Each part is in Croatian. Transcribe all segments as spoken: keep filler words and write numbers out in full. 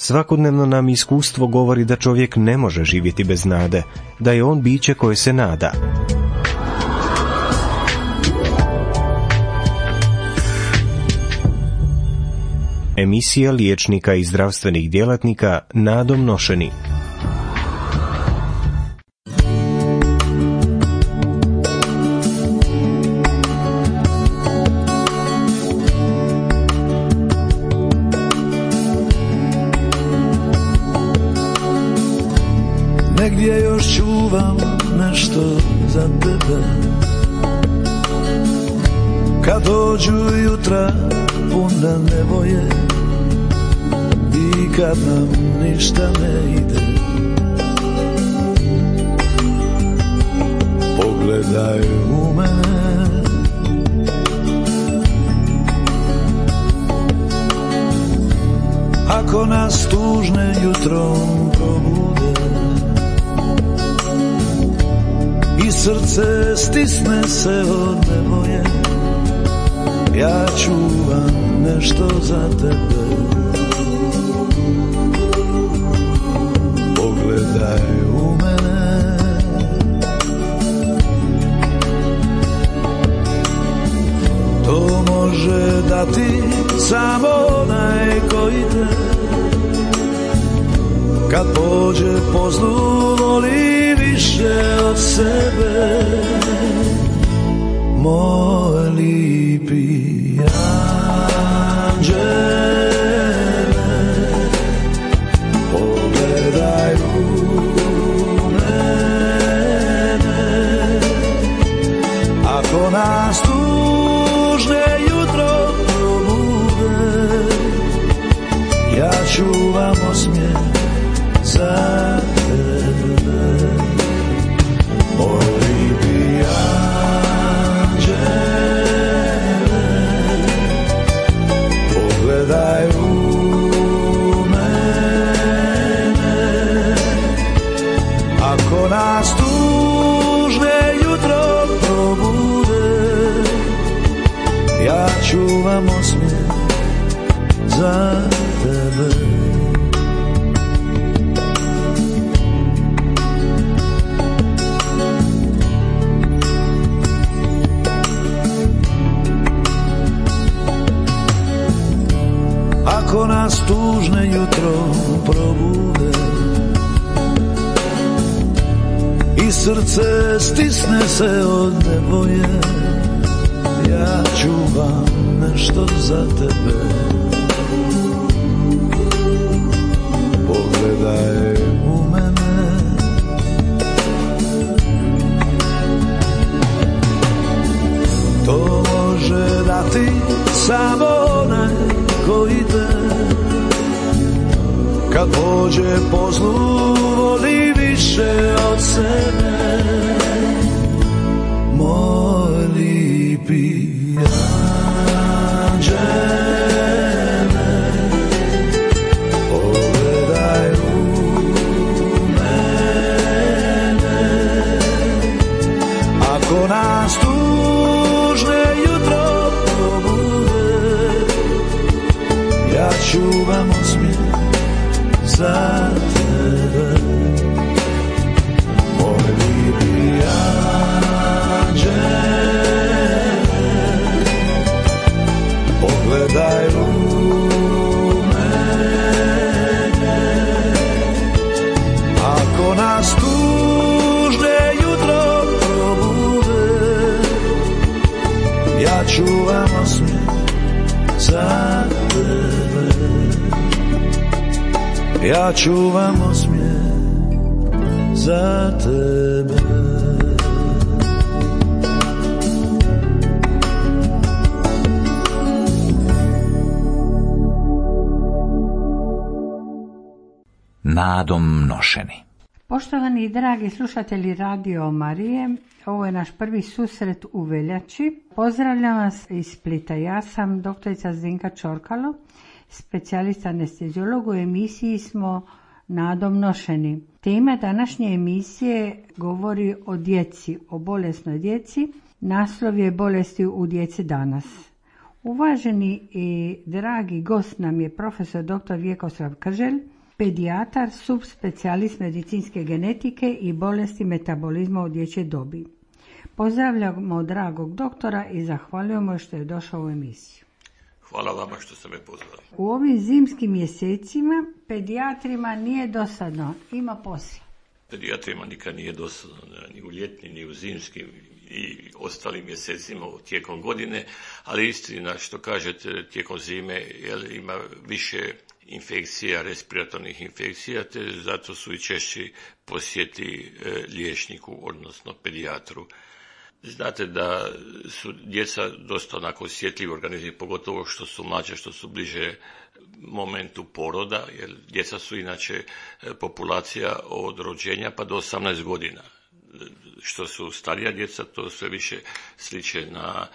Svakodnevno nam iskustvo govori da čovjek ne može živjeti bez nade, da je on biće koje se nada. Emisija liječnika i zdravstvenih djelatnika nadom nošeni. Negdje još čuvam nešto za tebe, kad dođu jutra puna nevolje i kad nam ništa ne ide. Pogledaj u mene, ako nas tužne jutrom probude i srce stisne se od nevolje, ja čuvam nešto za tebe. Pogledaj u mene, to može dati samo onaj koji te, kad pođe po zlu voli više od sebe. Moj lipi anđele, pogledaj u mene, ako nas tužne jutro probude, ja čuvam osmijeh za tebe. Moj lipi anđele, pogledaj u mene, ako nas tužne jutro probude, ja čuvam osmijeh za tebe. Ako nas tužne jutro probude i srce stisne se od nevolje, ja čuvam nešto za tebe. Pogledaj u mene, to može dati samo onaj koji te, kad pođe po zlu voli više od sebe. Moj lipi anđele, pogledaj u mene, ako nas tužne jutro probude, ja čuvam osmijeh za tebe. Moj lipi anđele, pogledaj u mene, ako nas tužne jutro probude, ja čuvam osmijeh za tebe. Ja čuvam osmijeh za tebe. Nadom nošeni. Poštovani i dragi slušatelji Radio Marije, ovo je naš prvi susret u veljači. Pozdravljam vas iz Splita. Ja sam doktorica Zdenka Čorkalo, specijalista anesteziolog. U emisiji smo Nadom nošeni. Tema današnje emisije govori o djeci, o bolesnoj djeci. Naslov je bolesti u djeci danas. Uvaženi i dragi gost nam je profesor doktor Vjekoslav Krželj, pedijatar, subspecijalist medicinske genetike i bolesti metabolizma u dječjoj dobi. Pozdravljamo dragog doktora i zahvaljujemo što je došao u emisiju. Hvala vama što ste me pozvali. U ovim zimskim mjesecima pedijatrima nije dosadno, ima posla. Pedijatrima nikad nije dosadno, ni u ljetnim, ni u zimskim i ostalim mjesecima tijekom godine, ali istina što kažete tijekom zime jel, ima više infekcija, respiratornih infekcija, te zato su i češći posjeti e, liječniku, odnosno pedijatru. Znate da su djeca dosta onako osjetljivi organizmi, pogotovo što su mlađe, što su bliže momentu poroda, jer djeca su inače populacija od rođenja pa do osamnaest godina. Što su starija djeca, to sve više sliče na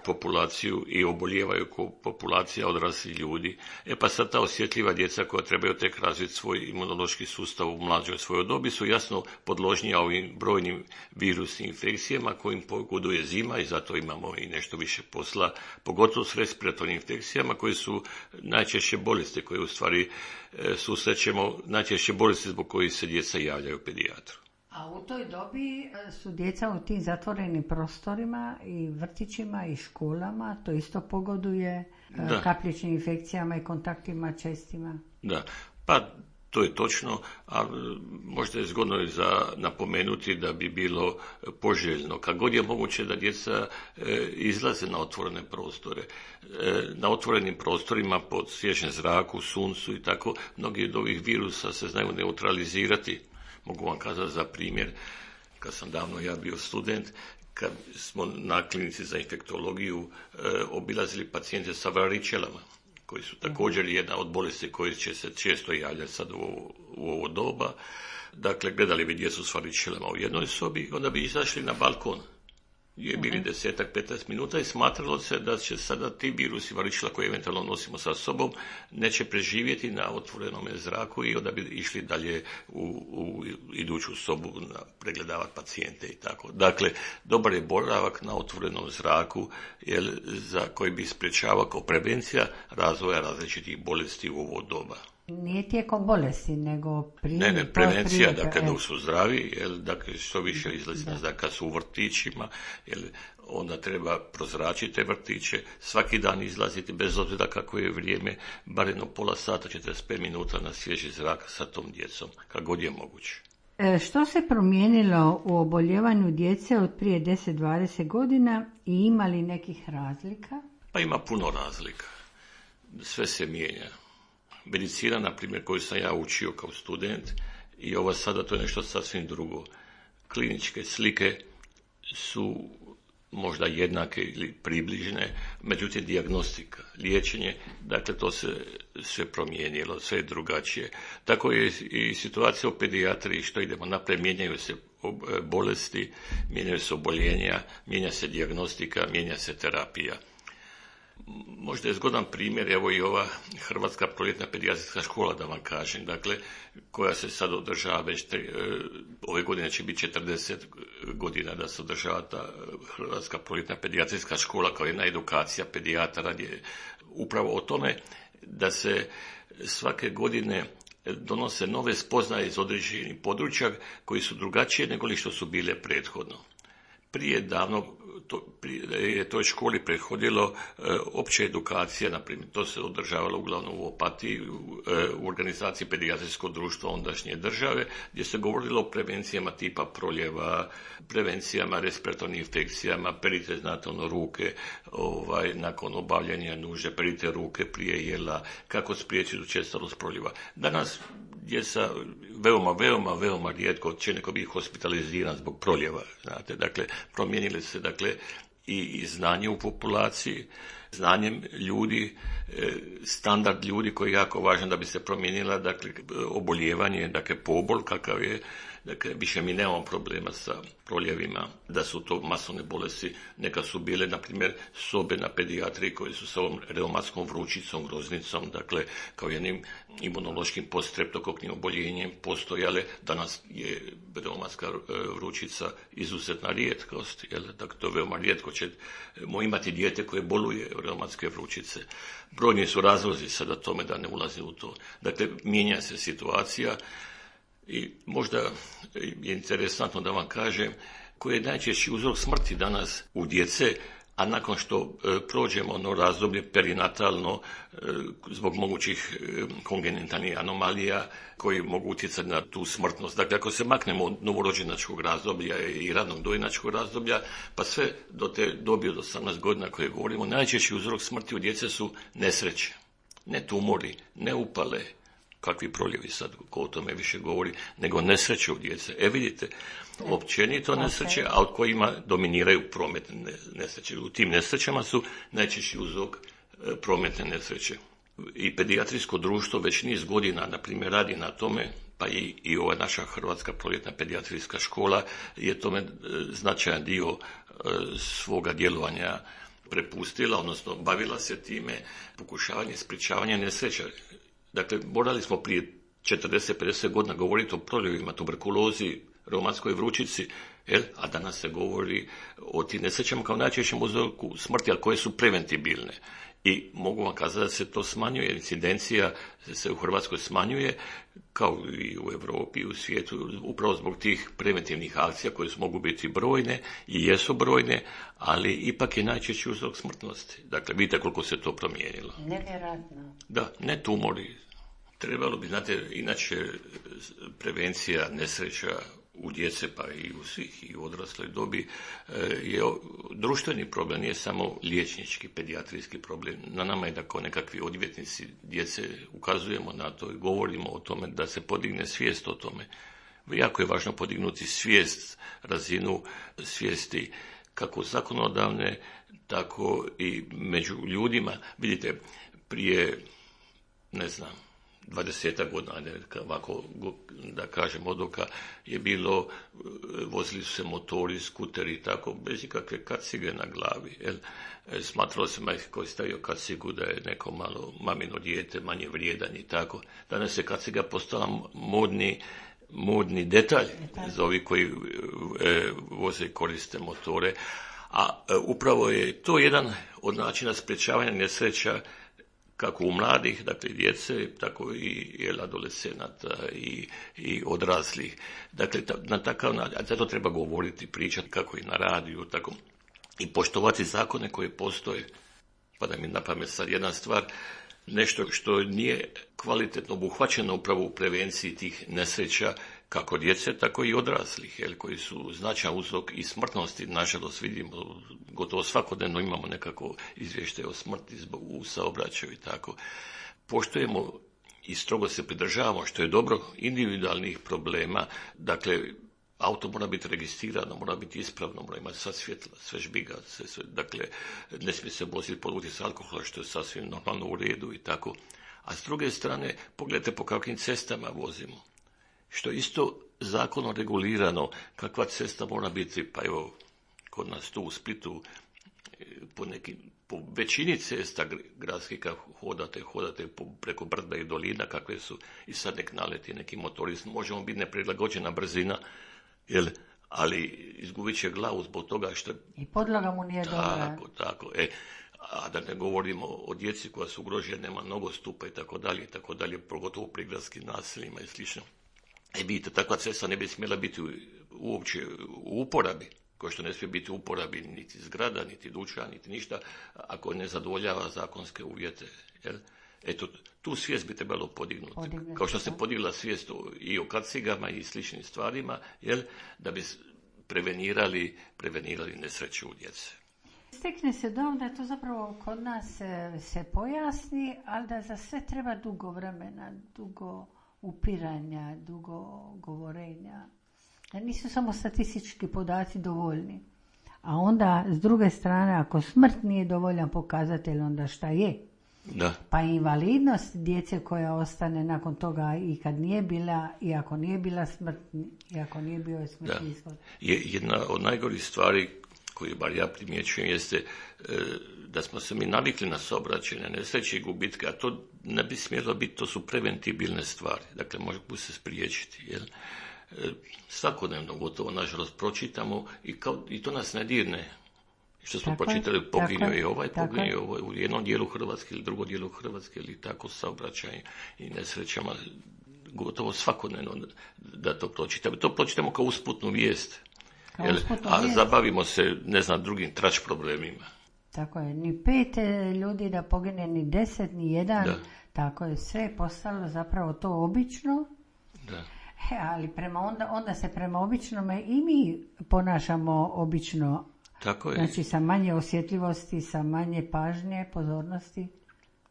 populaciju i obolijevaju kao populacija odraslih ljudi. E pa sad ta osjetljiva djeca koja trebaju tek razviti svoj imunološki sustav u mlađoj svojoj dobi su jasno podložnija ovim brojnim virusnim infekcijama kojim pogoduje zima i zato imamo i nešto više posla, pogotovo s respiratornim infekcijama koji su najčešće bolesti koje u stvari susrećemo, najčešće bolesti zbog kojih se djeca javljaju pedijatru. A u toj dobi su djeca u tim zatvorenim prostorima i vrtićima i školama, to isto pogoduje da. Kapljičnim infekcijama i kontaktima čestima. Da, pa to je točno, ali možda je zgodno za napomenuti da bi bilo poželjno, kad god je moguće da djeca e, izlaze na otvorene prostore. E, na otvorenim prostorima pod svježem zraku, suncu i tako, mnogi od ovih virusa se znaju neutralizirati. Mogu vam kazati za primjer, kad sam davno ja bio student, kad smo na klinici za infektologiju e, obilazili pacijente sa varičelama, koji su također jedna od bolesti koje će se često javljati sad u, u ovo doba. Dakle, gledali bi djecu s varičelama u jednoj sobi, onda bi izašli na balkon. Je bili desetak, petnaest minuta i smatralo se da će sada ti virusi varičela koje eventualno nosimo sa sobom neće preživjeti na otvorenom zraku i onda bi išli dalje u, u iduću sobu na pregledavati pacijente i tako. Dakle, dobar je boravak na otvorenom zraku jer, za koji bi sprječavao kao prevencija razvoja različitih bolesti u ovo doba. Nije tijekom bolesti, nego prije. Ne, ne, prevencija, dakle, dok su zdravi, jer, dakle, što više izlazi na zrak, kad su u vrtićima, jer onda treba prozračiti te vrtiće, svaki dan izlaziti, bez obzira kako je vrijeme, bar jedno pola sata, četrdeset pet minuta na svježi zrak sa tom djecom, kako god je moguće. E, što se promijenilo u oboljevanju djece od prije deset do dvadeset godina i ima li nekih razlika? Pa ima puno razlika. Sve se mijenja. Medicina, na primjer, koju sam ja učio kao student, i ovo sada to je nešto sasvim drugo. Kliničke slike su možda jednake ili približne, međutim dijagnostika, liječenje, dakle to se sve promijenilo, sve je drugačije. Tako je i situacija u pedijatriji, što idemo naprijed, mijenjaju se bolesti, mijenjaju se oboljenja, mijenja se dijagnostika, mijenja se terapija. Možda je zgodan primjer, evo i ova Hrvatska proljetna pedijatrijska škola, da vam kažem, dakle, koja se sad održava već, te, ove godine će biti četrdeset godina da se održava ta Hrvatska proljetna pedijatrijska škola kao jedna edukacija pedijatara, gdje upravo o tome da se svake godine donose nove spoznaje iz određenih područja koji su drugačije nego li što su bile prethodno. Prije davno to, prije, je toj školi prethodilo e, opća edukacija, na primjer, to se održavalo uglavnom u Opatiji, u, e, u organizaciji Pedijatrijskog društva ondašnje države, gdje se govorilo o prevencijama tipa proljeva, prevencijama respiratornih infekcijama, perite, znate, ono, ruke, ovaj, nakon obavljanja nužde, perite ruke prije jela, kako spriječiti učestalost proljeva. Danas djeca veoma, veoma, veoma rijetko će neko biti hospitaliziran zbog proljeva, znate, dakle, promijenili se, dakle, i, i znanje u populaciji, znanjem ljudi, standard ljudi koji je jako važan da bi se promijenila, dakle, oboljevanje, dakle, pobol kakav je, Dakle, više mi nemamo problema sa proljevima, da su to masovne bolesti. Neka su bile, na primjer, sobe na pedijatriji koje su sa ovom reumatskom vrućicom, groznicom, dakle, kao jednim imunološkim poststreptokoknim oboljenjem postojale. Danas je reumatska vrućica izuzetna rijetkost, jel? Dakle, to veoma rijetko ćemo imati dijete koje boluje reumatske vrućice. Brojni su razlozi sada tome, da ne ulaze u to. Dakle, mijenja se situacija i možda je interesantno da vam kažem koji je najčešći uzrok smrti danas u djece, a nakon što e, prođemo ono razdoblje perinatalno e, zbog mogućih e, kongenitalnih anomalija koji mogu utjecati na tu smrtnost. Dakle, ako se maknemo od novorođenačkog razdoblja i ranog dojenačkog razdoblja, pa sve do te dobi od osamnaest godina koje govorimo, najčešći uzrok smrti u djece su nesreće. Ne tumori, ne upale, kakvi proljevi sad, ko o tome više govori, nego nesreće u djece. E vidite, općenito nesreće, a od kojima dominiraju prometne nesreće. U tim nesrećama su najčešći uzrok prometne nesreće. I pedijatrijsko društvo već niz godina, na primjer, radi na tome, pa i, i ova naša Hrvatska proljetna pedijatrijska škola je tome značajan dio svoga djelovanja prepustila, odnosno bavila se time, pokušavanje sprječavanja nesreća. Dakle, morali smo prije četrdeset pedeset godina govoriti o proljevima, tuberkulozi, reumatskoj vrućici, jel? A danas se govori o tim nesrećama kao najčešćem uzroku smrti, ali koje su preventibilne. I mogu vam kazati da se to smanjuje, incidencija se u Hrvatskoj smanjuje, kao i u Europi i u svijetu, upravo zbog tih preventivnih akcija koje su mogu biti brojne i jesu brojne, ali ipak je najčešći uzrok smrtnosti. Dakle, vidite koliko se to promijenilo. Nevjerojatno. Da, ne tumori. Trebalo bi, znate, inače prevencija nesreća u djece, pa i u svih i u odrasloj dobi je društveni problem, nije samo liječnički, pedijatrijski problem. Na nama je da kao nekakvi odvjetnici djece ukazujemo na to i govorimo o tome da se podigne svijest o tome. Jako je važno podignuti svijest, razinu svijesti kako zakonodavne, tako i među ljudima. Vidite, prije, ne znam, dvadesetak godina, ovako da kažem odoka, je bilo, vozili su se motori, skuteri i tako, bez ikakve kacige na glavi. Jel? Smatralo se majke koji stavio kacigu da je neko malo mamino dijete, manje vrijedan i tako. Danas je kaciga postala modni, modni detalj za ovi koji e, voze i koriste motore. A e, upravo je to jedan od načina sprječavanja nesreća kako u mladih, dakle djece, tako i adolescenata i, i odraslih. Dakle, ta, na takav način, a zato treba govoriti, pričati kako i na radiju, tako i poštovati zakone koje postoje. Pa da mi na pamet sad jedna stvar, nešto što nije kvalitetno obuhvaćeno upravo u prevenciji tih nesreća, kako djece, tako i odraslih, jel, koji su značajan uzrok i smrtnosti. Nažalost, vidimo, gotovo svakodnevno imamo nekako izvještaje o smrti zbog u saobraćaju i tako. Poštujemo i strogo se pridržavamo, što je dobro, individualnih problema. Dakle, auto mora biti registrirano, mora biti ispravno, mora imati sva svjetla, sve žbiga, sve, sve, dakle, ne smije se voziti pod utjecajem alkohola, što je sasvim normalno u redu i tako. A s druge strane, pogledajte po kakvim cestama vozimo. Što isto zakonom regulirano, kakva cesta mora biti, pa evo, kod nas tu u Splitu, po, nekim, po većini cesta gradskih kad hodate, hodate po, preko brda i dolina, kakve su, i sad nek naleti neki motorist, možemo biti neprilagođena brzina, jel, ali izgubit će glavu zbog toga što... I podloga mu nije dobra. Tako, tako, e. A da ne govorimo o djeci koja su ugrožena, nema nogostupa i tako dalje, i tako dalje, pogotovo u prigradskim naseljima i slično. E vidite, takva cesta ne bi smjela biti uopće u uporabi, kao što ne smije biti u uporabi niti zgrada, niti dućan, niti ništa, ako ne zadovoljava zakonske uvjete. Jel? Eto, tu svijest bi trebalo podignuti. Podignuti. Kao što se podigla svijest i o kacigama i sličnim stvarima, jel? Da bi prevenirali, prevenirali nesreću u djece. Stekne se dojam da to zapravo kod nas se, se pojasni, ali da za sve treba dugo vremena, dugo upiranja, dugo govorenja. Da nisu samo statistički podaci dovoljni. A onda, s druge strane, ako smrt nije dovoljan pokazatelj, onda šta je? Da. Pa invalidnost djece koja ostane nakon toga i kad nije bila, i ako nije bila smrt, i ako nije bio smrtni ishod. Je jedna od najgorih stvari koju bar ja primjećujem jeste e, da smo se mi navikli na saobraćajne nesreće i gubitke, a to ne bi smjelo biti, to su preventibilne stvari, dakle mogu se spriječiti, jel? E, svakodnevno gotovo, nažalost, pročitamo i, kao, i to nas ne dirne. Što smo tako pročitali, poginio je ovaj, poginio je ovaj u jednom dijelu Hrvatske ili drugom dijelu Hrvatske ili tako saobraćaj i nesrećama, gotovo svakodnevno da to pročitamo. To pročitamo kao usputnu vijest, jel? A vijest. Zabavimo se, ne znam, drugim trač problemima. Tako je, ni pet ljudi da pogine, ni deset, ni jedan, da. Tako je, sve je postalo zapravo to obično. Da. He, ali prema onda, onda se prema običnome i mi ponašamo obično. Tako je. Znači sa manje osjetljivosti, sa manje pažnje, pozornosti.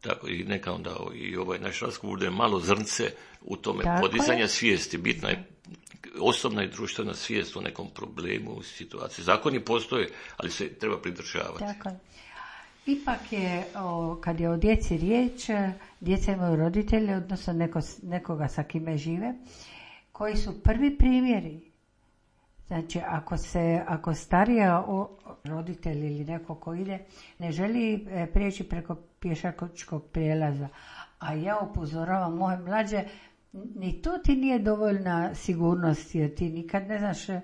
Tako i neka onda i ovaj naš razgovor bude malo zrnce u tome tako podizanja je. Svijesti. Bitna je osobna i društvena svijest o nekom problemu, u situaciji. Zakoni postoje, ali se treba pridržavati. Tako je. Ipak je, o, kad je o djeci riječ, djeca imaju roditelje, odnosno neko, nekoga sa kime žive, koji su prvi primjeri. Znači, ako se, ako starija o, roditelj ili neko ko ide, ne želi e, prijeći preko pješačkog prijelaza, a ja upozoravam moje mlađe, ni to ti nije dovoljna sigurnost, jer ti nikad ne znaš e,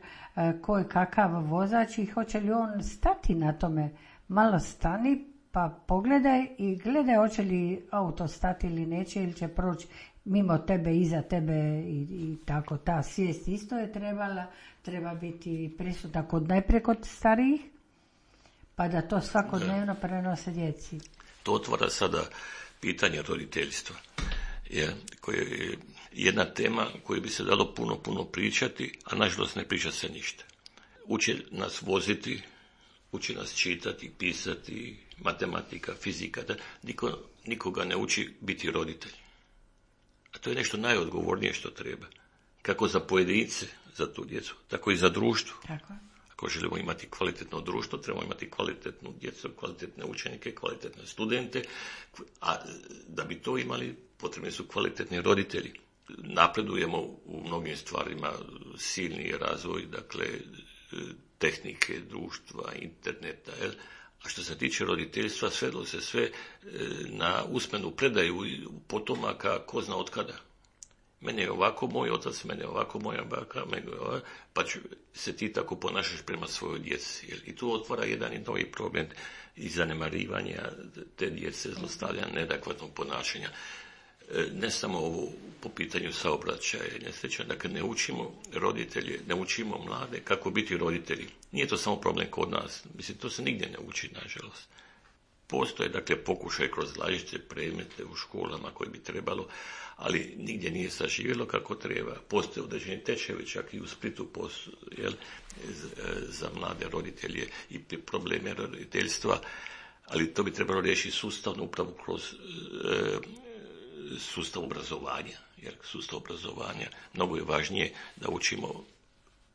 ko je kakav vozač i hoće li on stati na tome. Malo stani, pa pogledaj i gledaj hoće li auto stati ili neće, ili će proći mimo tebe, iza tebe i, i tako. Ta svijest isto je trebala, treba biti prisutna kod najprije kod starijih, pa da to svakodnevno prenose djeci. To otvara sada pitanje roditeljstva, je, koje je jedna tema koju bi se dalo puno, puno pričati, a nažalost ne priča se ništa. Uče nas voziti, uči nas čitati, pisati, matematika, fizika, da niko, nikoga ne uči biti roditelj. A to je nešto najodgovornije što treba. Kako za pojedince, za tu djecu, tako i za društvo. Tako. Ako želimo imati kvalitetno društvo, trebamo imati kvalitetnu djecu, kvalitetne učenike, kvalitetne studente, a da bi to imali, potrebni su kvalitetni roditelji. Napredujemo u mnogim stvarima, silni razvoj, dakle, tehnike, društva, interneta, jel? A što se tiče roditeljstva, svedlo se sve na usmenu predaju potomaka ko zna od kada. Mene je ovako moj otac, mene je ovako moja baka, mene je ovako, pa ću se ti tako ponašaš prema svojoj djeci. Jel? I tu otvara jedan i novi problem i zanemarivanja te djece, zlostavljanja, neadekvatnog ponašanja. Ne samo ovo po pitanju saobraćaja, nesreća, dakle ne učimo roditelje, ne učimo mlade kako biti roditelji. Nije to samo problem kod nas, mislim, to se nigdje ne uči, nažalost. Postoje, dakle, pokušaj kroz različite predmete u školama koji bi trebalo, ali nigdje nije saživjelo kako treba. Postoje određeni tečajevi, čak i u Splitu postoje, jel, za mlade roditelje i probleme roditeljstva, ali to bi trebalo riješiti sustavno upravo kroz e, sustav obrazovanja, jer sustav obrazovanja mnogo je važnije da učimo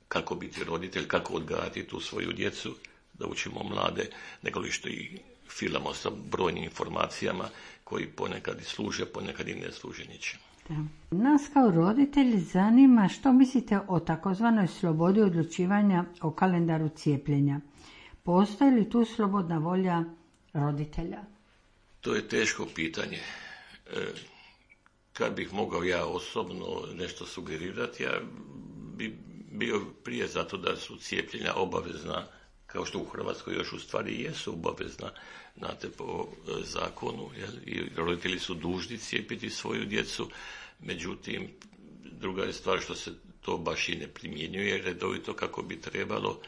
kako biti roditelj, kako odgajati tu svoju djecu, da učimo mlade, nego li što i filamo sa brojnim informacijama koji ponekad i služe, ponekad i ne služe ničemu. Nas kao roditelji zanima što mislite o takozvanoj slobodi odlučivanja o kalendaru cijepljenja. Postoji li tu slobodna volja roditelja? To je teško pitanje. E, kad bih mogao ja osobno nešto sugerirati, ja bi bio prije zato da su cijepljenja obavezna, kao što u Hrvatskoj još u stvari jesu obavezna, znate, po zakonu, jel? I roditelji su dužni cijepiti svoju djecu, međutim, druga je stvar što se to baš i ne primjenjuje redovito kako bi trebalo,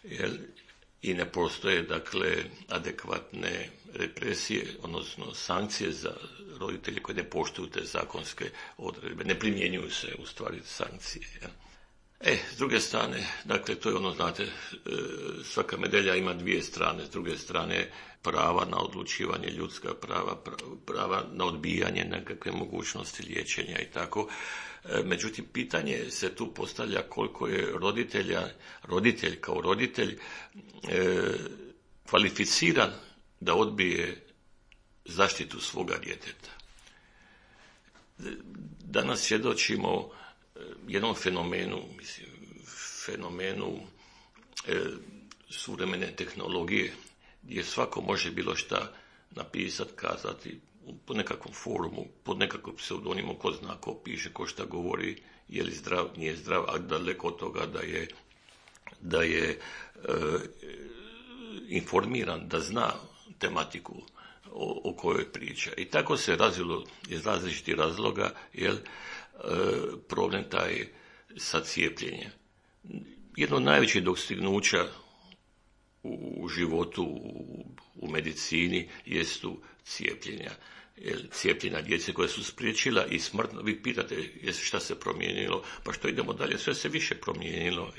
jel? I ne postoje, dakle, adekvatne represije, odnosno sankcije za roditelje koji ne poštuju te zakonske odredbe. Ne primjenjuju se, u stvari, sankcije. Ja. E, s druge strane, dakle, to je ono, znate, svaka medalja ima dvije strane. S druge strane, prava na odlučivanje, ljudska prava, prava na odbijanje nekakve mogućnosti liječenja i tako. Međutim, pitanje se tu postavlja koliko je roditelja, roditelj kao roditelj e, kvalificiran da odbije zaštitu svoga djeteta. Danas svjedočimo jednom fenomenu, mislim, fenomenu e, suvremene tehnologije, gdje svako može bilo šta napisati, kazati, po nekakvom forumu, pod nekakvom pseudonimu, ko zna, ko piše, ko šta govori, je li zdrav, nije zdrav, a daleko od toga da je, da je e, informiran, da zna tematiku o, o kojoj priča. I tako se razvilo iz različitih razloga, jel, e, problem taj sa cijepljenjem. Jedno od najvećih dostignuća u životu, u, u medicini, jesu cijepljenja. Cijepljenja djece koja su spriječila i smrtno. Vi pitate šta se promijenilo, pa što idemo dalje, sve se više promijenilo.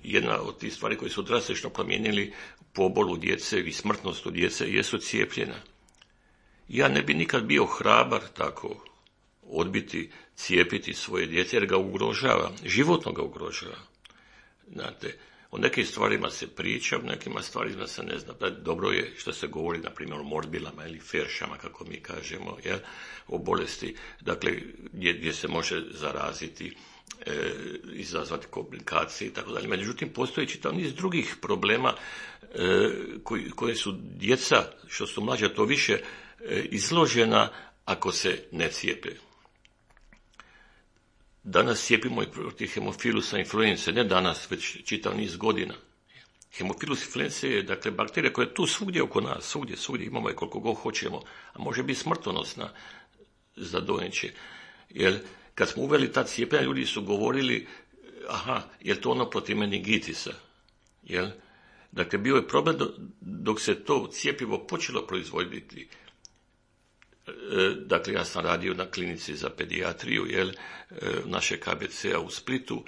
Jedna od tih stvari koje su drastično promijenili pobolu djece i smrtnost u djece jesu cijepljenja. Ja ne bi nikad bio hrabar tako odbiti cijepiti svoje djece, jer ga ugrožava, životno ga ugrožava. Znate, o nekim stvarima se priča, o nekima stvarima se ne zna. Dobro je što se govori, na primjer, o morbilama ili feršama, kako mi kažemo, jel, o bolesti, dakle, gdje, gdje se može zaraziti, e, izazvati komplikacije i tako dalje. Međutim, postoji čitav niz drugih problema e, koji, koje su djeca, što su mlađa, to više e, izložena ako se ne cijepe. Danas cijepimo i protiv hemofilusa influence, ne danas, već čitav niz godina. Hemofilus influence je, dakle, bakterija koja je tu svugdje oko nas, svugdje, svugdje imamo je koliko god hoćemo, a može biti smrtonosna za dojenče. Jer kad smo uveli ta cijepljenja, ljudi su govorili, aha, je to ono protiv meningitisa, jel? Dakle, bio je problem dok se to cjepivo počelo proizvoditi. Dakle, ja sam radio na klinici za pedijatriju, jel, naše K B C-a u Splitu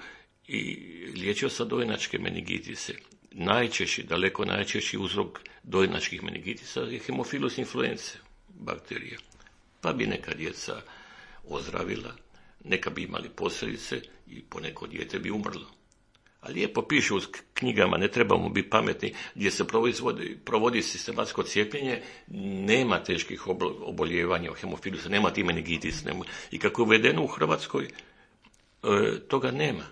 i liječio sam dojenačke meningitise. Najčešći, daleko najčešći uzrok dojenačkih meningitisa je hemofilus influence bakterija. Pa bi neka djeca ozdravila, neka bi imali posljedice i poneko dijete bi umrlo. A lijepo piše u knjigama, ne trebamo biti pametni, gdje se provodi, provodi sistematsko cijepljenje, nema teških oboljevanja od hemofilusa, nema ti meningitis. Nema. I kako je uvedeno u Hrvatskoj, e, toga nema.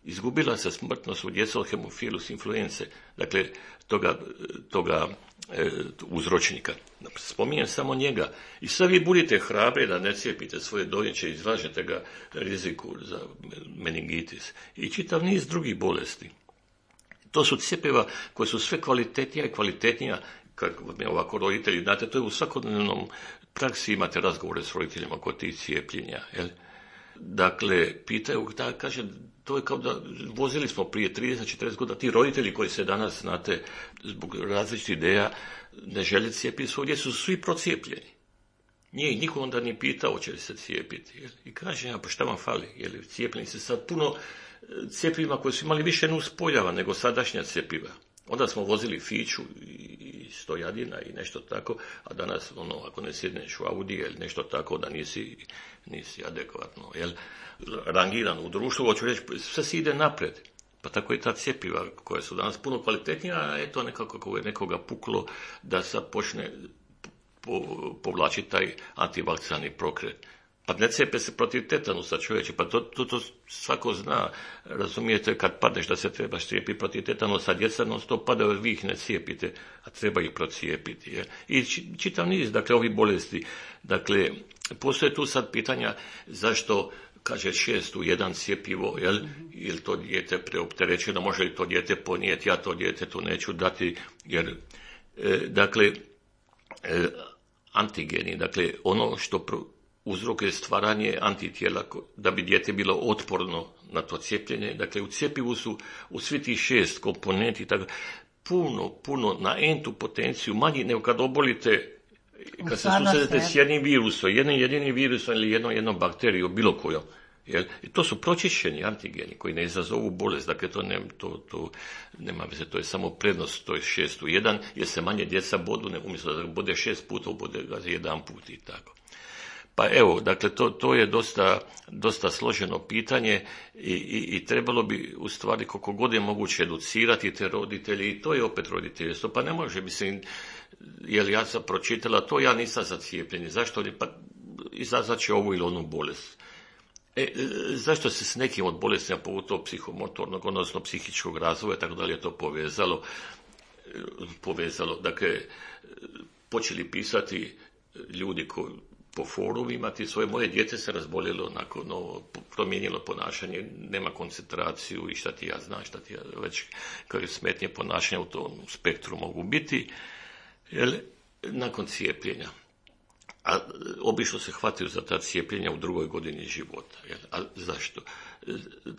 Izgubila se smrtnost u djeca od hemofilus influence, dakle, toga, toga e, uzročnika. Spominjem samo njega. I sad vi budite hrabri da ne cijepite svoje dojenče, izlažete ga riziku za meningitis. I čitav niz drugih bolesti. To su cjepiva koje su sve kvalitetnija i kvalitetnija, kako ovako roditelji, znate, to je u svakodnevnom praksi, imate razgovore s roditeljima kod tih cijepljenja, jel? Dakle, pitaju, da, kaže, to je kao da vozili smo prije trideset četrdeset godina, ti roditelji koji se danas, znate, zbog različitih ideja ne žele cijepiti svoje djecu, su svi procijepljeni. Nije niko onda ni pitao će li se cijepiti. Jel? I kaže, ja, pa šta vam fali? Jel, cijepljeni se sad puno cjepiva koji su imali više nuspojava nego sadašnja cjepiva. Onda smo vozili fiću i stojadina i nešto tako, a danas, ono, ako ne sjedneš u Audi ili nešto tako, da nisi, nisi adekvatno, jel, rangiran u društvu, hoću reći, sve se ide napred. Pa tako i ta cjepiva koja su danas puno kvalitetnija, a eto nekako kako je nekoga puklo da sad počne po, povlačiti taj antivakcinalni pokret. Pa ne cijepe se protiv tetanusa, čovječe, pa to, to, to svako zna, razumijete, kad padneš da se trebaš cijepiti protiv tetanusa, djeca non stop padaju, vi ih ne cijepite, a treba ih procijepiti. Je. I čitav niz, dakle, ovih bolesti. Dakle, postoje tu sad pitanja zašto, kaže, šest u jedan cijepivo, jel, ili to dijete preopterećeno, može li to dijete ponijeti, ja to dijete tu neću dati, jer, e, dakle, e, antigeni, dakle, ono što pro, uzrok je stvaranje antitijela da bi dijete bilo otporno na to cijepljenje. Dakle, u cjepivu su u svi tih šest komponenti tako, puno, puno na entu potenciju manji nego kad obolite, kad se susredete s jednim virusom, jednim jedinim virusom ili jednom, jednom bakterijom, bilo kojom. Jel? I to su pročišćeni antigeni koji ne izazovu bolest, dakle to, ne, to, to nema veze, to je samo prednost, to je šest u jedan, jer se manje djeca bodu, ne, umjesto da bude šest puta, bude ga jedan put i tako. Pa evo, dakle, to, to je dosta, dosta složeno pitanje i, i, i trebalo bi u stvari koliko god je moguće educirati te roditelji i to je opet roditeljstvo. Pa ne može, mislim, jer ja sam pročitala to, ja nisam za cijepljenje. Zašto? Pa izazvat će ovu ili onu bolest. E, zašto se s nekim od bolestima, pogotovo psihomotornog, odnosno psihičkog razvoja, tako dalje, to povezalo? povezalo. Dakle, počeli pisati ljudi koji po forumima, ti svoje moje dijete se razboljelo, nakon novo, promijenilo ponašanje, nema koncentraciju i šta ti ja znam, šta ti ja već koje smetnje ponašanja u tom spektru mogu biti, jel, nakon cijepljenja. A obično se hvataju za ta cijepljenja u drugoj godini života. Jel? A zašto?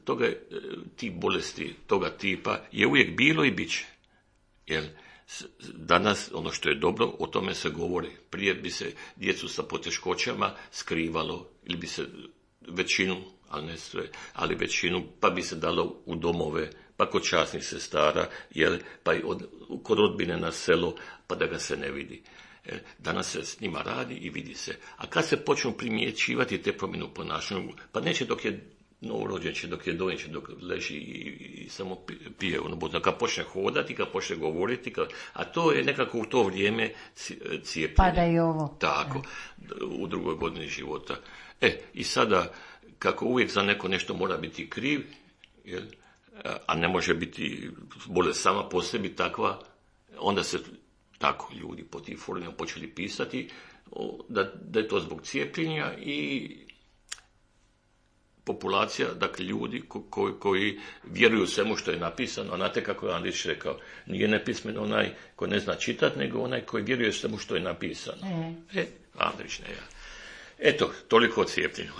Toga, ti bolesti toga tipa je uvijek bilo i bit će. Jel? Danas, ono što je dobro, o tome se govori. Prije bi se djecu sa poteškoćama skrivalo, ili bi se većinu, ali ne sve, ali većinu, pa bi se dalo u domove, pa kod časnih sestara, jel? Pa i od, kod rodbine na selo, pa da ga se ne vidi. Danas se s njima radi i vidi se. A kad se počnu primjećivati te promjene u ponašanju, pa neće dok je novorođen, će dok je dojenče, dok leži i, i samo pije ono bodno. Kad počne hodati, kad počne govoriti, kad, a to je nekako u to vrijeme cijepljenje. Pa da i ovo. Tako, u drugoj godini života. E, i sada, kako uvijek za neko nešto mora biti kriv, jel, a ne može biti bolest sama po sebi takva, onda se tako ljudi po tim forumima počeli pisati da, da je to zbog cijepljenja i populacija, dakle ljudi ko, koji, koji vjeruju svemu što je napisano, a znate kako je Andrić rekao, nije nepismen onaj ko ne zna čitati, nego onaj koji vjeruje svemu što je napisano. E, e Andrić ne ja. Eto, toliko o cijepljenju.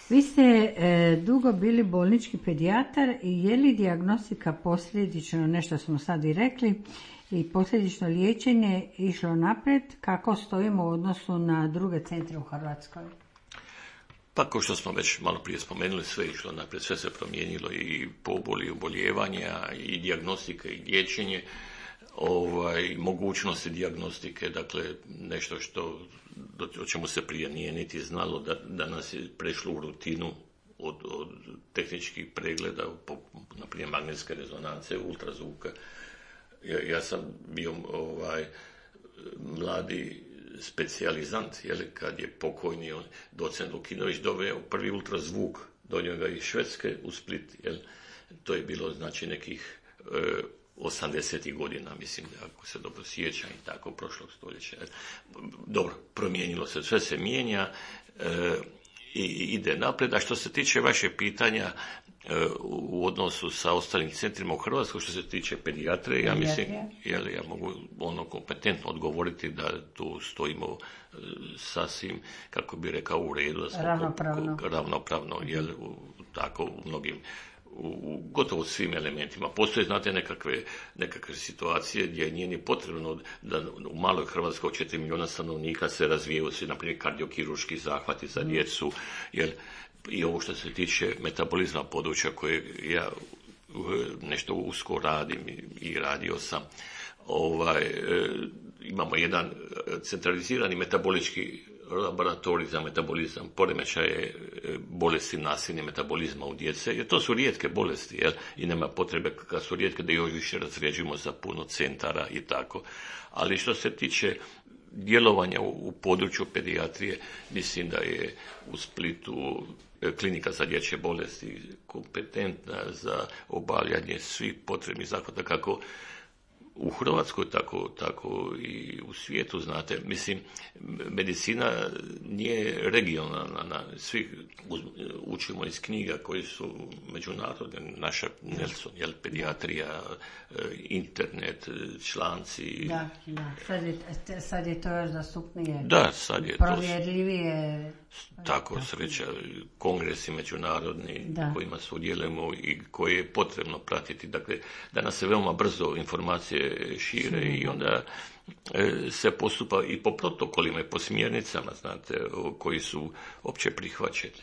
Vi ste e, dugo bili bolnički pedijatar i je li dijagnostika posljedično, nešto smo sad i rekli, i posljedično liječenje išlo naprijed, kako stojimo u odnosu na druge centre u Hrvatskoj? Pa kao što smo već malo prije spomenuli, sve išlo naprijed, sve se promijenilo i poboli, oboljevanja, i dijagnostika i liječenje, ovaj, mogućnosti dijagnostike, dakle nešto što, o čemu se prije nije niti znalo, da, da nas je prešlo u rutinu od, od tehničkih pregleda, po, na primjer magnetske rezonance, ultrazvuka. Ja, ja sam bio ovaj, mladi specijalizant, jel, kad je pokojni on, docent Lukinović doveo prvi ultrazvuk, donio ga iz Švedske u Split, jel. To je bilo znači nekih e, osamdesetih godina, mislim, ako se dobro sjećam, i tako, prošlog stoljeća. Dobro, promijenilo se, sve se mijenja e, i ide naprijed. A što se tiče vaše pitanja e, u odnosu sa ostalim centrima u Hrvatskoj, što se tiče pedijatrije, ja mislim, jel, ja mogu ono kompetentno odgovoriti da tu stojimo e, sasvim, kako bi rekao, u redu, da smo ravnopravno, ko, ravnopravno jel, u, tako u mnogim, u gotovo svim elementima. Postoje, znate, nekakve, nekakve situacije gdje nije ni potrebno da u maloj Hrvatskoj od četiri milijuna stanovnika se razvijaju svi, na primjer, kardiokirurški zahvati za djecu, jer i ovo što se tiče metabolizma područja koje ja nešto usko radim i, i radio sam, ovaj, e, imamo jedan centralizirani metabolički laboratorij za metabolizam, poremećaje bolesti nasilnih metabolizma u djece, jer to su rijetke bolesti, jel? I nema potrebe kad su rijetke da još više razređujemo za puno centara i tako. Ali što se tiče djelovanja u, u području pedijatrije, mislim da je u Splitu klinika za dječje bolesti kompetentna za obavljanje svih potrebnih zahvata, kako u Hrvatskoj, tako, tako i u svijetu, znate. Mislim, medicina nije regionalna, na, svi učimo iz knjiga koji su međunarodne, naša Nelson, jel, pedijatrija, internet, članci. Da, da, sad je, sad je to još dostupnije. Da, sad je provjerljivije. Tako, sreća, kongresi međunarodni da. Kojima sudjelujemo i koje je potrebno pratiti. Dakle, danas se veoma brzo informacije šire Sim. i onda e, se postupa i po protokolima i po smjernicama, znate, koji su opće prihvaćeni.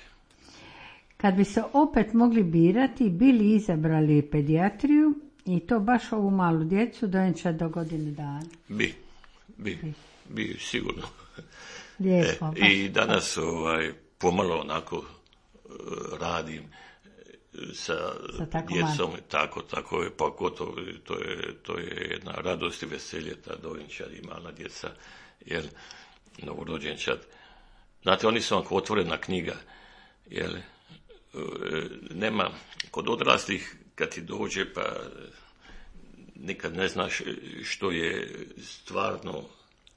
Kad bi se opet mogli birati, bili izabrali pedijatriju i to baš ovu malu djecu dojenčad do godine dana? Bi, bi, bi, bi sigurno. Lijepo, e, I danas ovaj, pomalo onako radim sa, sa tako djecom, malo. tako, tako je, pa gotovo, to je, to je jedna radost i veselje, ta dojenčad i mala djeca, jer novorođenčad. Znate, oni su vam otvorena knjiga, jer nema, kod odraslih kad ti dođe, pa nikad ne znaš što je stvarno,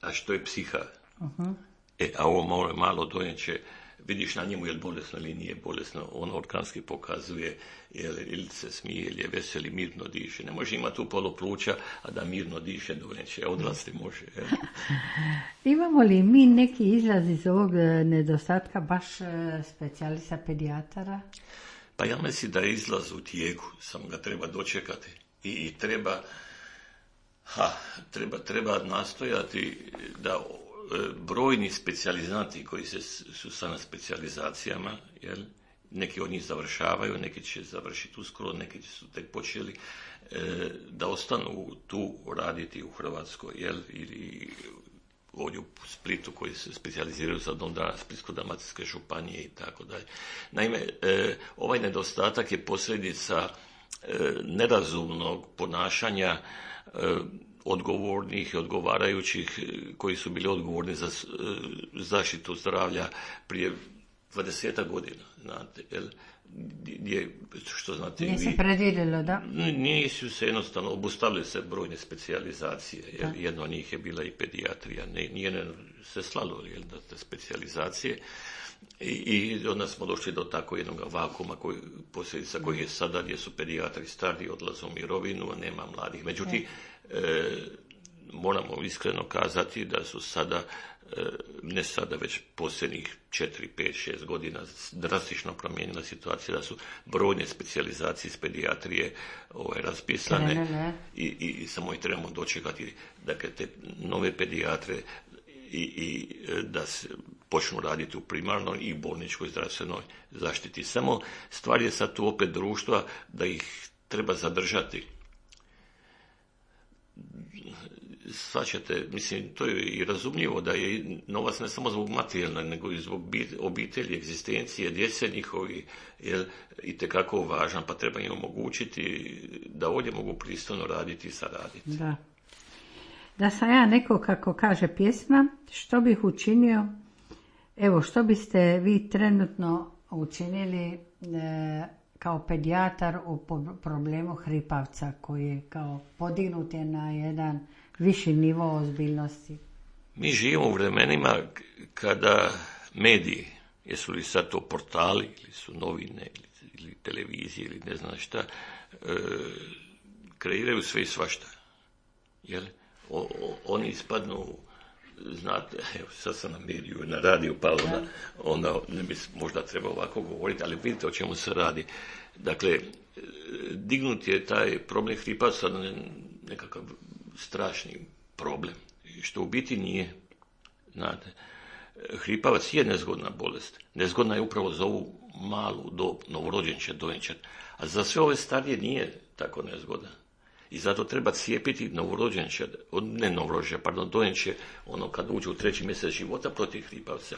a što je psiha. Uh-huh. E, a ovo malo, malo dojenče, vidiš na njemu je li bolesno ili nije bolesno, on organski pokazuje je li, ili se smije, ili je veseli, mirno diše. Ne može imati u polo pluća, a da mirno diše dojenče, odrasli može. Je. Imamo li mi neki izraz iz ovog nedostatka baš specijalista pedijatara? Pa ja mislim da je izlaz u tijeku, samo ga treba dočekati i, i treba, ha, treba, treba nastojati da brojni specijalizanti koji se, su sad na specijalizacijama, jel, neki od njih završavaju, neki će završiti uskoro, neki su tek počeli, e, da ostanu tu raditi u Hrvatskoj, jel, ili ovdje u Splitu koji se specijaliziraju za dom zdravlja Splitsko-dalmatinske županije i tako dalje. Naime, e, ovaj nedostatak je posljedica e, nerazumnog ponašanja e, odgovornih i odgovarajućih koji su bili odgovorni za zaštitu zdravlja prije dvadesetak godina, znate, jel, gdje, što znate nije vi, se predvidjelo, da? Nisu se jednostavno, obustavili se brojne specijalizacije, jel, jedna od njih je bila i pedijatrija, ne, nije ne, se slalo, jel, da te specijalizacije, I, i onda smo došli do tako jednog vakuma koji, posljedica koji je sada, gdje su pedijatri stari, odlaze u mirovinu, a nema mladih. Međutim, e, moramo iskreno kazati da su sada, e, ne sada, već posljednjih četiri, pet, šest godina drastično promijenila situacija, da su brojne specijalizacije iz pedijatrije ovaj, raspisane ne, ne, ne. I, i, i samo ih trebamo dočekati, dakle, te nove pedijatre i, i da se počnu raditi u primarnoj i bolničkoj zdravstvenoj zaštiti. Samo stvar je sad tu opet društva da ih treba zadržati. Svačate, mislim, to je i razumljivo da je novac ne samo zbog materijalne, nego i zbog obitelji, egzistencije, djece njihovi, je itekako važan, pa treba im omogućiti da ovdje mogu pristojno raditi i saraditi. Da. Da sam ja neko, kako kaže pjesma, što bih učinio, evo, što biste vi trenutno učinili e, kao pedijatar u problemu hripavca koji je kao podignut je na jedan viši nivo ozbiljnosti? Mi živimo u vremenima kada mediji, jesu li sad to portali ili su novine ili, ili televizije ili ne znam šta, e, kreiraju sve i svašta. Jel? O, o, oni ispadnu, znate, evo sad sam na mediju, na radiju, pa onda, onda ne bi možda trebao ovako govoriti, ali vidite o čemu se radi. Dakle, dignut je taj problem hripavca na nekakav strašni problem, što u biti nije. Znate, hripavac je nezgodna bolest. Nezgodna je upravo za ovu malu dob, novorođenčad, dojenčad, a za sve ove starije nije tako nezgodna. I zato treba cijepiti novorođenčad, ne novorođenčad, pardon, dojenče, ono kad uđe u treći mjesec života protiv hripavca.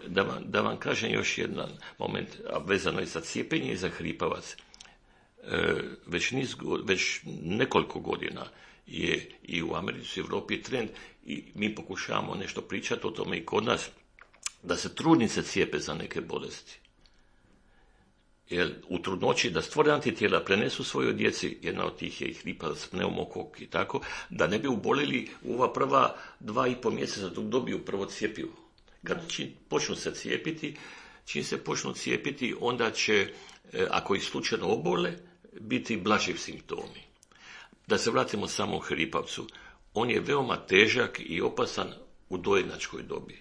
Da vam, da vam kažem još jedan moment, a vezano je za cijepljenje i za hripavac. E, već, niz, već nekoliko godina je i u Americi, u Europi trend i mi pokušavamo nešto pričati o tome i kod nas, da se trudnice cijepe za neke bolesti. Jer u trudnoći da stvore antitijela prenesu svojoj djeci, jedna od tih je i hripavac, pneumokok i tako, da ne bi ubolili u ova prva dva i pol mjeseca dok dobiju prvo cjepivo. Kad čim počnu se cijepiti, čim se počnu cijepiti, onda će, ako ih slučajno obole, biti blaži simptomi. Da se vratimo samo hripavcu, on je veoma težak i opasan u dojenačkoj dobi.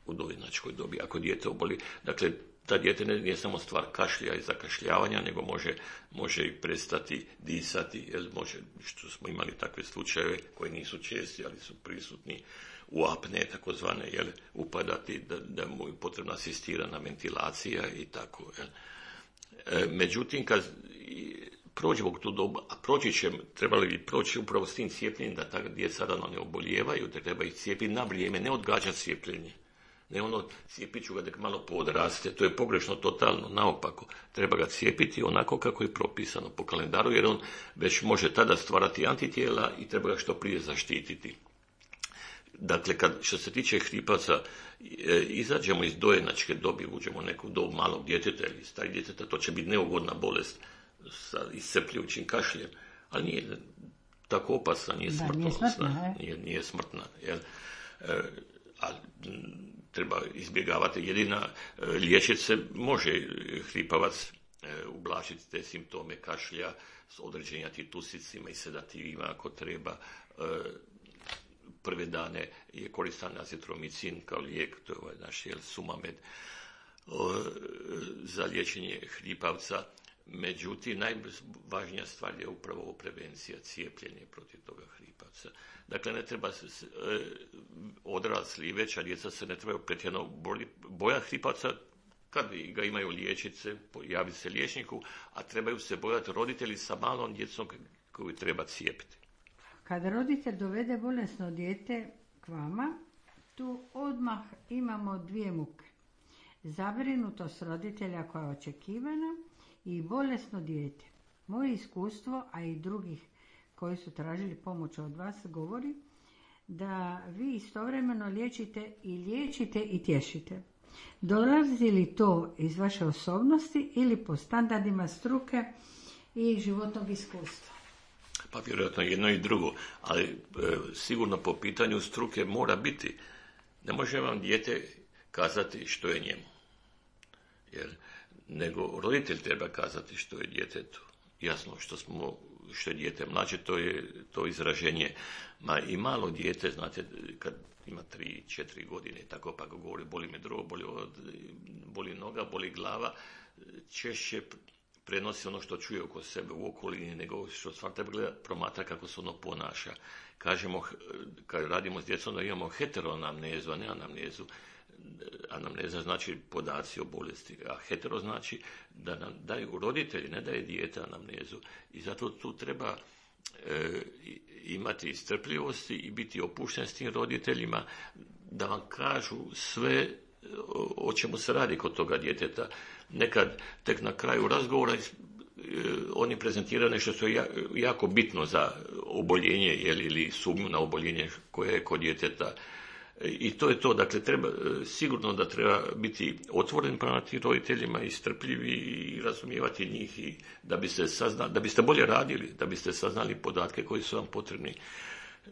U dojenačkoj dobi, ako dijete oboli. Dakle, ta dijete nije samo stvar kašlja i zakašljavanja, nego može, može i prestati disati, jer može, što smo imali takve slučajeve koji nisu česti, ali su prisutni u apne, takozvane, jel, upadati, da, da mu je potrebna asistirana ventilacija i tako. Jel. E, međutim, kad prođemo tu dobu, a proći će, trebali bi proći upravo s tim cijepljenjem, da ta djeca rano ne obolijevaju, da treba ih cijepiti na vrijeme, ne odgađati cijepljenje. Ne ono, cijepit ću ga dok malo podraste, to je pogrešno totalno, naopako. Treba ga cijepiti onako kako je propisano po kalendaru, jer on već može tada stvarati antitijela i treba ga što prije zaštititi. Dakle, kad, što se tiče hripaca, e, izađemo iz dojenačke dobi, uđemo u neku dobu malog djeteta ili starih djeteta, to će biti neugodna bolest sa iscrpljujućim kašljem, ali nije tako opasna, nije smrtonosna, nije, nije smrtna. Jel? E, a treba izbjegavati. Jedina e, liječit se može hripavac e, ublažiti te simptome kašlja s određenim antitusicima i sedativima ako treba. E, prve dane je koristan azitromicin kao lijek, to je ovaj naš jel, Sumamed, o, za liječenje hripavca. Međutim, najvažnija stvar je upravo prevencija, cijepljenje protiv toga hripavca. Dakle, ne treba se, e, odrasli i veća djeca se ne trebaju pretjerano boja hripavca, kad ga imaju liječnice, javi se liječniku, a trebaju se bojati roditelji sa malom djecom koju treba cijepiti. Kad roditelj dovede bolesno dijete k vama, tu odmah imamo dvije muke. Zabrinutost roditelja koja je očekivana i bolesno dijete. Moje iskustvo, a i drugih koji su tražili pomoć od vas, govori da vi istovremeno liječite i liječite i tješite. Dolazi li to iz vaše osobnosti ili po standardima struke i životnog iskustva? Pa vjerojatno jedno i drugo, ali e, sigurno po pitanju struke mora biti. Ne može vam dijete kazati što je njemu. Jer, nego roditelj treba kazati što je djetetu. Jasno, što smo, što je dijete mlađe, to je to izraženje. Ma i malo dijete, znate, kad ima tri, četiri godine, tako pa ga govori, boli me drogo, boli, boli noga, boli glava, češće prenosi ono što čuje oko sebe u okolini, nego što stvarno treba gledati, promatra kako se ono ponaša. Kažemo, kad radimo s djecom, da imamo heteroanamnezu, a ne anamnezu. Anamneza znači podaci o bolesti, a hetero znači da nam daju roditelji, ne daje dijete anamnezu. I zato tu treba e, imati strpljivosti i biti opušten s tim roditeljima da vam kažu sve o, o čemu se radi kod toga djeteta. Nekad tek na kraju razgovora e, oni prezentiraju nešto što je jako bitno za oboljenje ili sumnju na oboljenje koje je kod djeteta. I to je to, dakle, treba, sigurno da treba biti otvoren prema tim roditeljima i strpljivi i razumijevati njih i da biste saznali, da biste bolje radili, da biste saznali podatke koji su vam potrebni.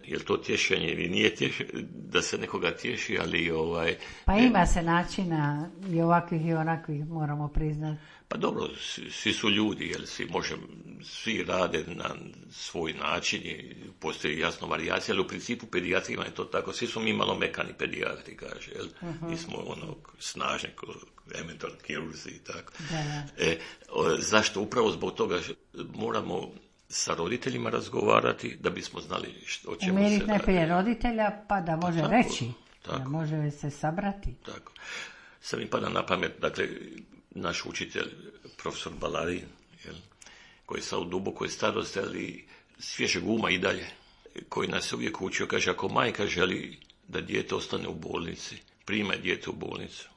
Jer to tješenje ili nije tješenje, da se nekoga tješi, ali ovaj... Pa ima se načina i ovakvih i onakvih, moramo priznati. Pa dobro, svi su ljudi, jer svi, može, svi rade na svoj način i postoji jasno varijacija, ali u principu pedijatrima je to tako, svi smo mi malo mekani pedijatri, kaže, jel? Uh-huh. Nismo ono snažni, eventualno kirurzi i tako. Da, da. E, o, zašto? Upravo zbog toga moramo sa roditeljima razgovarati da bismo znali što, o čemu Umiriti se radi. Umiriti najprije roditelja pa da može tako, reći, tako, da može se sabrati. Tako. Sad mi pada na pamet, dakle, naš učitelj, profesor Balarin, jel, koji je sad u dubokoj starosti, ali svježeg uma i dalje, koji nas uvijek učio, kaže, ako majka želi da dijete ostane u bolnici, primaj dijete u bolnicu.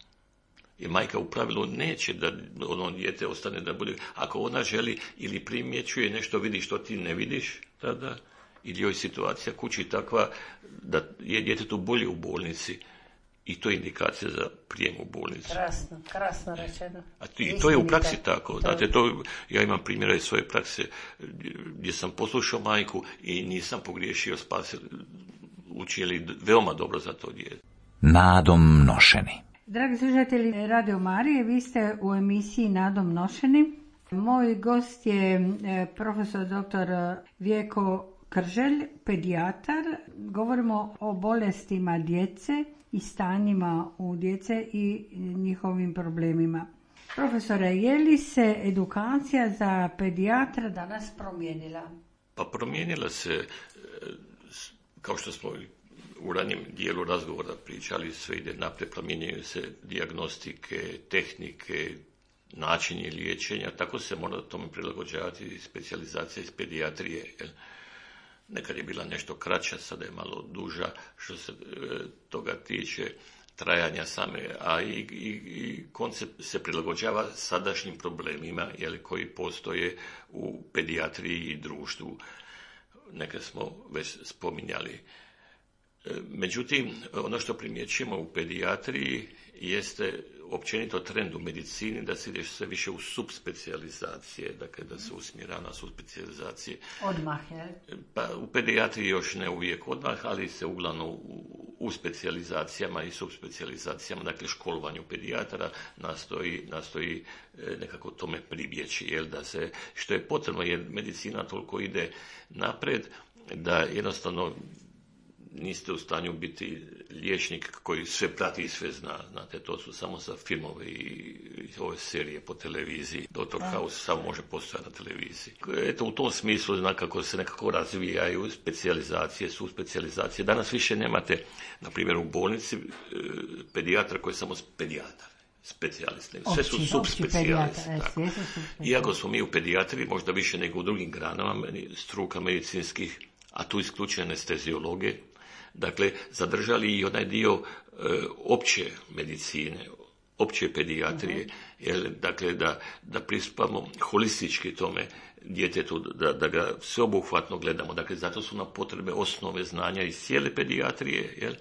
I majka u pravilu neće da ono dijete ostane da bude, ako ona želi ili primjećuje nešto, vidi što ti ne vidiš, tada, ili joj situacija kući takva da je djetetu bolje u bolnici, i to je indikacija za prijem u bolnicu. Krasno, krasno rečeno. A to, i to je u praksi tako. Znate, to, ja imam primjera iz svoje prakse gdje sam poslušao majku i nisam pogriješio, spasio, učili veoma dobro za to dijete. Nadom nošeni. Dragi slušatelji Radio Marije, vi ste u emisiji Nadom nošeni. Moj gost je profesor doktor Vjeko Krželj, pedijatar. Govorimo o bolestima djece i stanjima u djece i njihovim problemima. Profesore, je li se edukacija za pedijatra danas promijenila? Pa promijenila se, kao što smo u ranjem dijelu razgovora pričali, sve ide naprijed, promijenjaju se dijagnostike, tehnike, načini liječenja, tako se mora tome prilagođavati i specijalizacija iz pedijatrije. Jel? Nekad je bila nešto kraća, sada je malo duža što se e, toga tiče. trajanja same, a i, i, i koncept se prilagođava sadašnjim problemima jeli, koji postoje u pedijatriji i društvu. Neke smo već spominjali. Međutim, ono što primjećujemo u pedijatriji jeste općenito trend u medicini da se ide sve više u subspecijalizacije, dakle da se usmjera na subspecijalizacije. Odmah, je? Pa u pedijatriji još ne uvijek odmah, ali se uglavnom u, u specijalizacijama i subspecijalizacijama, dakle školovanju pedijatara nastoji, nastoji nekako tome pribjeći, jel, da se, što je potrebno jer medicina toliko ide napred da jednostavno niste u stanju biti liječnik koji sve prati i sve zna. Znate, to su samo za filmove i ove serije po televiziji. doktor House samo može postojati na televiziji. Eto, u tom smislu zna kako se nekako razvijaju specijalizacije, su specijalizacije. Danas više nemate, na primjer, u bolnici pedijatra koji je samo pedijatar. Specijalisti. Sve su subspecijalisti. Iako smo mi u pedijatriji možda više nego u drugim granama struka medicinskih, a tu isključuje anesteziologe, dakle, zadržali i onaj dio e, opće medicine, opće pedijatrije, uh-huh. jer, dakle, da, da pristupamo holistički tome djetetu, da, da ga sveobuhvatno gledamo. Dakle, zato su nam potrebe osnove znanja iz cijele pedijatrije, jel?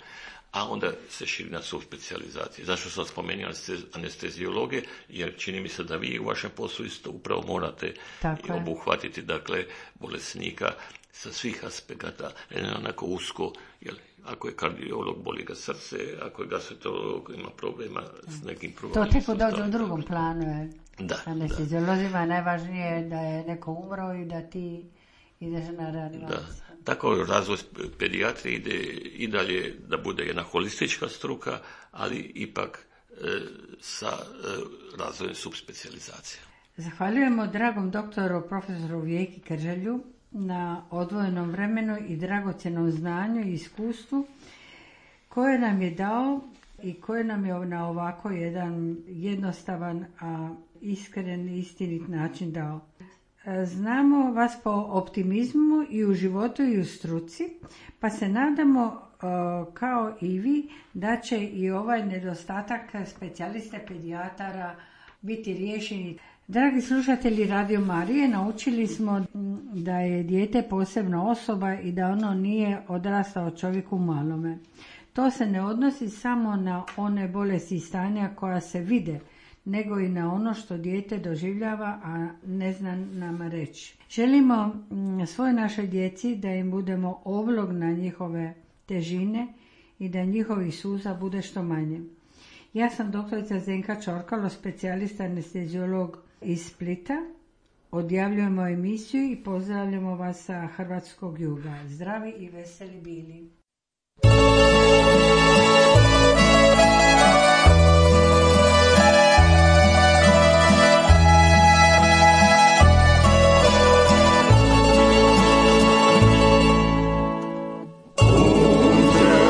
A onda se širi na subspecijalizacije. Zašto sam spomenuo anesteziologe? Jer čini mi se da vi u vašem poslu isto upravo morate Tako obuhvatiti, dakle, bolesnika sa svih aspekata, onako usko, jel, ako je kardiolog, boli ga srce, ako je gastroenterolog, ima problema s nekim probama. To teko dođe u drugom planu, je. Da, anesteziolozima je najvažnije da je neko umro i da ti ideš na reanimaciju. Da. Tako razvoj pedijatrije ide i dalje da bude jedna holistička struka, ali ipak e, sa e, razvojem subspecijalizacije. Zahvaljujemo dragom doktoru profesoru Vijeki Krželju na odvojenom vremenu i dragocjenom znanju i iskustvu koje nam je dao i koje nam je na ovako jedan jednostavan, a iskren i istinit način dao. Znamo vas po optimizmu i u životu i u struci, pa se nadamo kao i vi da će i ovaj nedostatak specijaliste pedijatara biti riješeni. Dragi slušatelji Radio Marije, naučili smo da je dijete posebna osoba i da ono nije odrastao čovjek u malome. To se ne odnosi samo na one bolesti i stanja koja se vide, nego i na ono što dijete doživljava, a ne zna nama reći. Želimo svoj našoj djeci da im budemo oblog na njihove težine i da njihovih suza bude što manje. Ja sam doktorica Zdenka Čorkalo, specijalista anesteziolog iz Splita. Odjavljujemo emisiju i pozdravljamo vas sa hrvatskog juga. Zdravi i veseli bili. Contra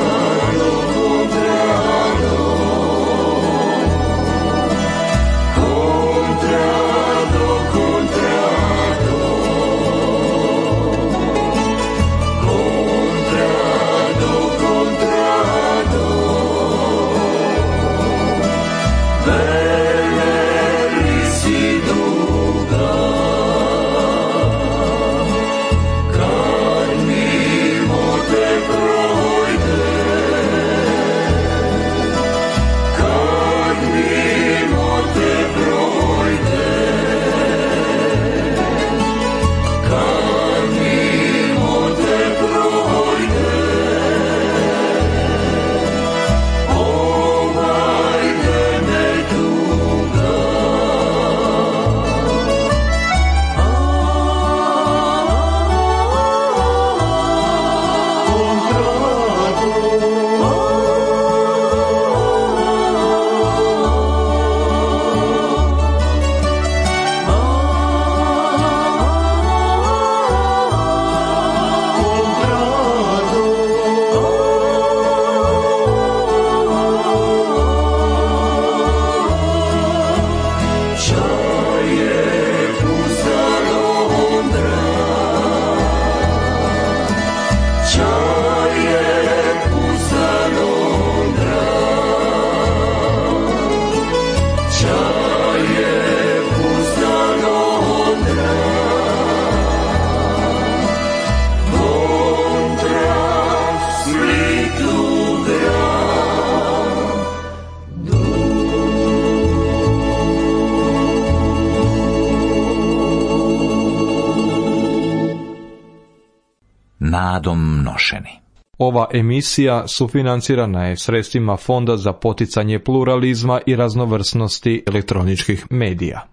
nadom nošeni. Ova emisija sufinancirana je sredstvima Fonda za poticanje pluralizma i raznovrsnosti elektroničkih medija.